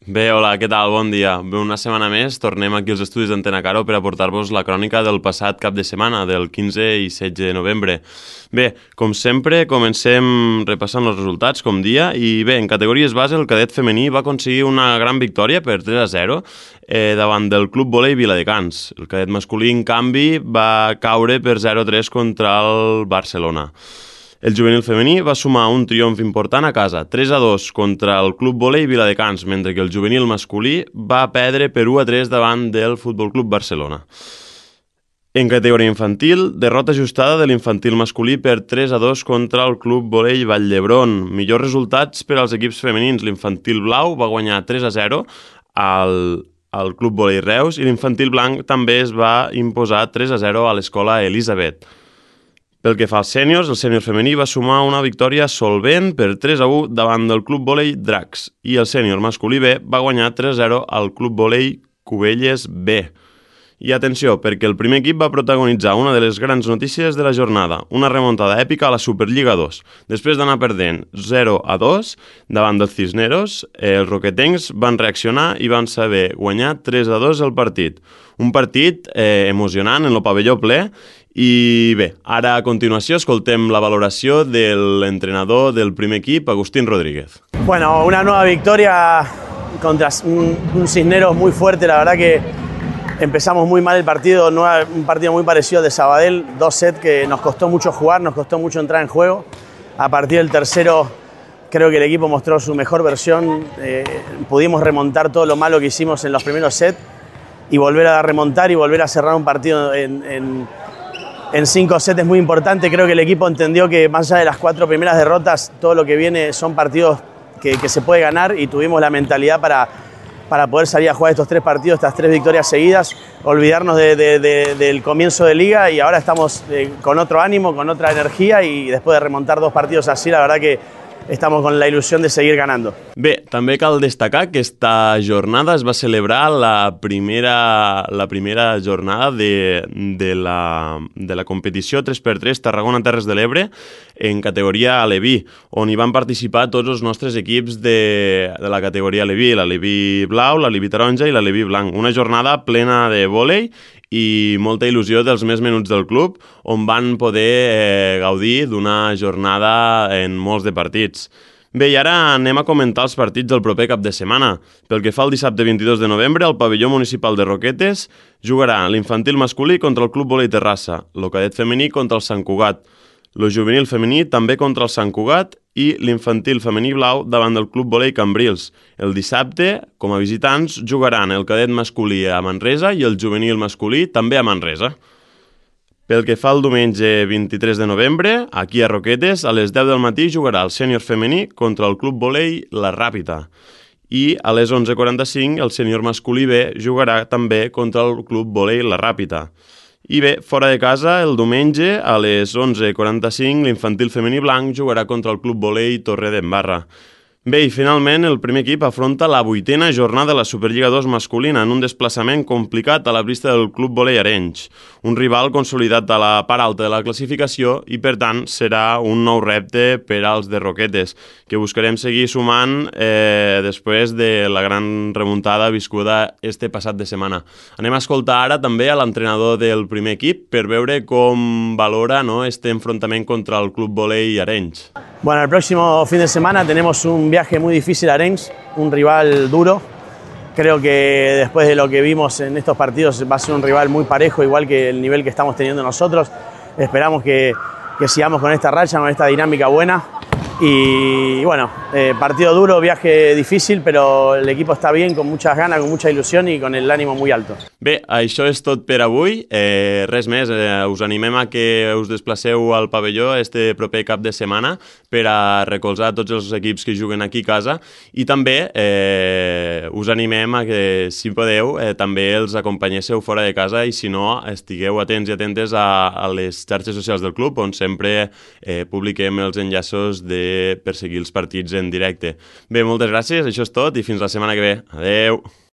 Bé, hola, què tal? Bon dia. Bé, una setmana més tornem aquí als estudis d'Antena Caro per a portar-vos la crònica del passat cap de setmana, del 15 i 16 de novembre. Bé, com sempre, comencem repassant els resultats, com dia, i bé, en categories base el cadet femení va aconseguir una gran victòria per 3-0 davant del Club Volei Viladecans. El cadet masculí, en canvi, va caure per 0-3 contra el Barcelona. El juvenil femení va sumar un triomf important a casa, 3-2 contra el Club Volei Viladecans, mentre que el juvenil masculí va perdre per 1-3 davant del Futbol Club Barcelona. En categoria infantil, derrota ajustada de l'infantil masculí per 3-2 contra el Club Volei Vall d'Hebron. Millors resultats per als equips femenins. L'infantil blau va guanyar 3-0 al Club Volei Reus i l'infantil blanc també es va imposar 3-0 a l'escola Elisabet. Pel que fa als sèniors, el sènior femení va sumar una victòria solvent per 3-1 davant del Club Volei Dracs i el sènior masculí B va guanyar 3-0 al Club Volei Cubelles B. I atenció, perquè el primer equip va protagonitzar una de les grans notícies de la jornada, una remuntada èpica a la Superliga 2. Després d'anar perdent 0-2 davant dels Cisneros, els roquetencs van reaccionar i van saber guanyar 3-2 el partit. Un partit emocionant en el pavelló ple. I bé, ara a continuació escoltem la valoració de l'entrenador del primer equip, Agustín Rodríguez. Bueno, una nueva victoria contra un Cisneros muy fuerte, la verdad que empezamos muy mal el partido, un partido muy parecido al de Sabadell, 2 sets que nos costó mucho jugar, nos costó mucho entrar en juego. A partir del tercero creo que el equipo mostró su mejor versión, pudimos remontar todo lo malo que hicimos en los primeros sets y volver a remontar y volver a cerrar un partido en 5 sets es muy importante. Creo que el equipo entendió que más allá de las 4 primeras derrotas, todo lo que viene son partidos que se puede ganar y tuvimos la mentalidad para poder salir a jugar estos 3 partidos, estas 3 victorias seguidas, olvidarnos del comienzo de liga y ahora estamos con otro ánimo, con otra energía y después de remontar 2 partidos así, la verdad que estamos con la il·lusió de seguir ganando. Bé, també cal destacar que esta jornada es va celebrar la primera jornada de la competició 3x3 Tarragona Terres de l'Ebre en categoria Aleví, on hi van participar tots els nostres equips de la categoria Aleví, l'Aleví blau, l'Aleví taronja i l'Aleví blanc. Una jornada plena de vòlei i molta il·lusió dels més menuts del club, on van poder gaudir d'una jornada en molts de partits. Bé, i ara anem a comentar els partits del proper cap de setmana. Pel que fa al dissabte 22 de novembre, al pavelló municipal de Roquetes jugarà l'infantil masculí contra el Club Volei Terrassa, el cadet femení contra el Sant Cugat, el juvenil femení també contra el Sant Cugat i l'infantil femení blau davant del Club Volei Cambrils. El dissabte, com a visitants, jugaran el cadet masculí a Manresa i el juvenil masculí també a Manresa. Pel que fa al diumenge 23 de novembre, aquí a Roquetes, a les 10 del matí jugarà el sènior femení contra el Club Volei La Ràpita. I a les 11:45 el sènior masculí B jugarà també contra el Club Volei La Ràpita. I bé, fora de casa, el diumenge, a les 11:45, l'infantil femení blanc jugarà contra el Club Volei Torredembarra. Bé, i finalment, el primer equip afronta la 8a jornada de la Superliga 2 masculina en un desplaçament complicat a la pista del Club Volei Arenys, un rival consolidat a la part alta de la classificació i, per tant, serà un nou repte per als de Roquetes, que buscarem seguir sumant després de la gran remuntada viscuda este passat de setmana. Anem a escoltar ara també a l'entrenador del primer equip per veure com valora este enfrontament contra el Club Volei Arenys. Bueno, el próximo fin de semana tenemos un viaje muy difícil a Arenys, un rival duro. Creo que después de lo que vimos en estos partidos va a ser un rival muy parejo, igual que el nivel que estamos teniendo nosotros. Esperamos que sigamos con esta racha, con esta dinámica buena. Y bueno, partido duro, viaje difícil, pero el equipo está bien, con muchas ganas, con mucha ilusión y con el ánimo muy alto. Bé, això és tot per avui. Res més, us animem a que us desplaceu al pavelló este proper cap de setmana per a recolzar tots els equips que juguen aquí a casa i també us animem a que, si podeu, també els acompanyéssiu fora de casa i, si no, estigueu atents i atentes a les xarxes socials del club, on sempre publiquem els enllaços per seguir els partits en directe. Bé, moltes gràcies, això és tot i fins la setmana que ve. Adeu!